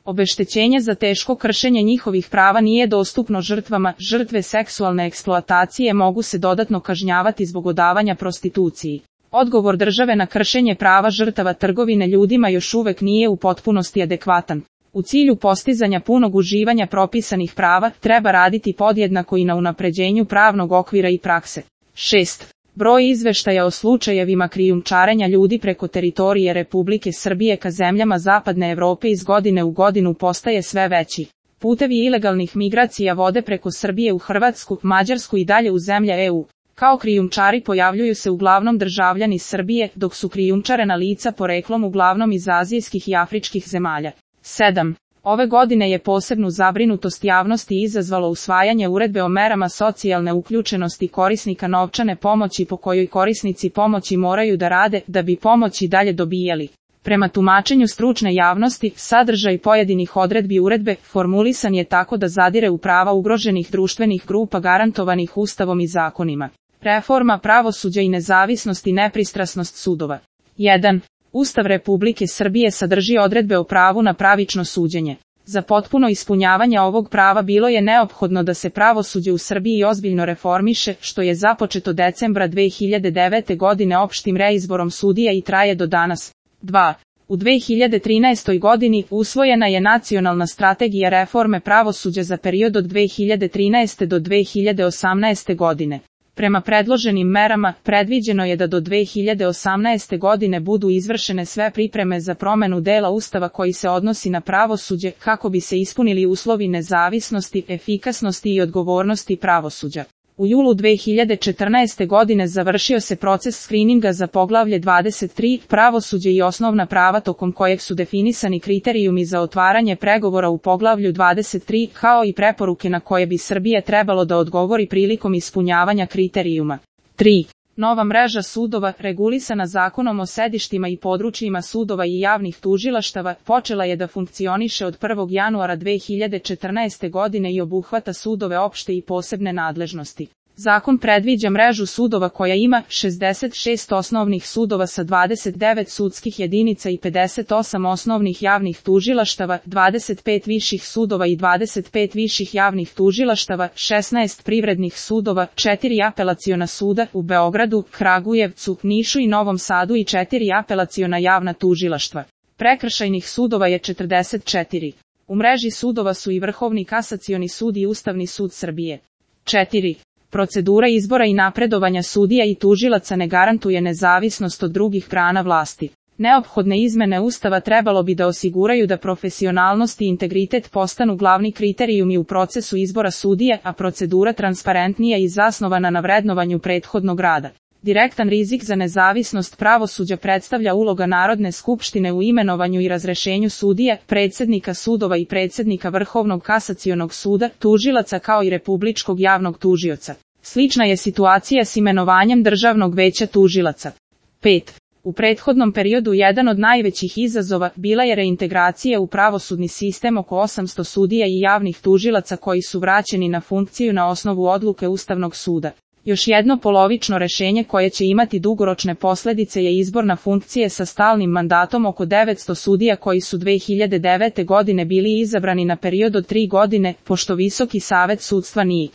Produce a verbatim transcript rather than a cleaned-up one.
Obeštećenje za teško kršenje njihovih prava nije dostupno žrtvama. Žrtve seksualne eksploatacije mogu se dodatno kažnjavati zbog odavanja prostituciji. Odgovor države na kršenje prava žrtava trgovine ljudima još uvek nije u potpunosti adekvatan. U cilju postizanja punog uživanja propisanih prava, treba raditi podjednako i na unapređenju pravnog okvira i prakse. šest. Broj izveštaja o slučajevima krijumčarenja ljudi preko teritorije Republike Srbije ka zemljama Zapadne Evrope iz godine u godinu postaje sve veći. Putevi ilegalnih migracija vode preko Srbije u Hrvatsku, Mađarsku i dalje u zemlje E U. Kao krijumčari pojavljuju se uglavnom državljani Srbije, dok su krijumčarena lica poreklom uglavnom iz azijskih i afričkih zemalja. sedam. Ove godine je posebnu zabrinutost javnosti izazvalo usvajanje uredbe o merama socijalne uključenosti korisnika novčane pomoći po kojoj korisnici pomoći moraju da rade da bi pomoć i dalje dobijali. Prema tumačenju stručne javnosti, sadržaj pojedinih odredbi uredbe formulisan je tako da zadire u prava ugroženih društvenih grupa garantovanih Ustavom i zakonima. Reforma pravosuđa i nezavisnost i nepristrasnost sudova. jedan. Ustav Republike Srbije sadrži odredbe o pravu na pravično suđenje. Za potpuno ispunjavanje ovog prava bilo je neophodno da se pravosuđe u Srbiji ozbiljno reformiše, što je započeto decembra dve hiljade devete. godine opštim reizborom sudija i traje do danas. dva. U dve hiljade trinaestoj. godini usvojena je Nacionalna strategija reforme pravosuđa za period od dve hiljade trinaeste. do dve hiljade osamnaeste. godine. Prema predloženim merama, predviđeno je da do dve hiljade osamnaeste. godine budu izvršene sve pripreme za promenu dela Ustava koji se odnosi na pravosuđe, kako bi se ispunili uslovi nezavisnosti, efikasnosti i odgovornosti pravosuđa. U julu dve hiljade četrnaeste. godine završio se proces skrininga za poglavlje dvadeset tri, pravosuđe i osnovna prava, tokom kojeg su definisani kriterijumi za otvaranje pregovora u poglavlju dvadeset tri, kao i preporuke na koje bi Srbija trebalo da odgovori prilikom ispunjavanja kriterijuma. tri. Nova mreža sudova, regulisana Zakonom o sedištima i područjima sudova i javnih tužilaštava, počela je da funkcioniše od prvog januara dve hiljade četrnaeste. godine i obuhvata sudove opšte i posebne nadležnosti. Zakon predviđa mrežu sudova koja ima šezdeset šest osnovnih sudova sa dvadeset devet sudskih jedinica i pedeset osam osnovnih javnih tužilaštava, dvadeset pet viših sudova i dvadeset pet viših javnih tužilaštava, šesnaest privrednih sudova, četiri apelaciona suda u Beogradu, Kragujevcu, Nišu i Novom Sadu i četiri apelaciona javna tužilaštva. Prekršajnih sudova je četrdeset četiri. U mreži sudova su i Vrhovni kasacioni sud i Ustavni sud Srbije. četiri. Procedura izbora i napredovanja sudija i tužilaca ne garantuje nezavisnost od drugih grana vlasti. Neophodne izmene Ustava trebalo bi da osiguraju da profesionalnost i integritet postanu glavni kriterijumi u procesu izbora sudija, a procedura transparentnija i zasnovana na vrednovanju prethodnog rada. Direktan rizik za nezavisnost pravosuđa predstavlja uloga Narodne skupštine u imenovanju i razrešenju sudija, predsjednika sudova i predsjednika Vrhovnog kasacionog suda, tužilaca kao i Republičkog javnog tužioca. Slična je situacija s imenovanjem Državnog veća tužilaca. pet. U prethodnom periodu jedan od najvećih izazova bila je reintegracija u pravosudni sistem oko osamsto sudija i javnih tužilaca koji su vraćeni na funkciju na osnovu odluke Ustavnog suda. Još jedno polovično rešenje koje će imati dugoročne posljedice je izbor na funkcije sa stalnim mandatom oko devetsto sudija koji su dve hiljade devete. godine bili izabrani na period od tri godine, pošto Visoki savet sudstva nije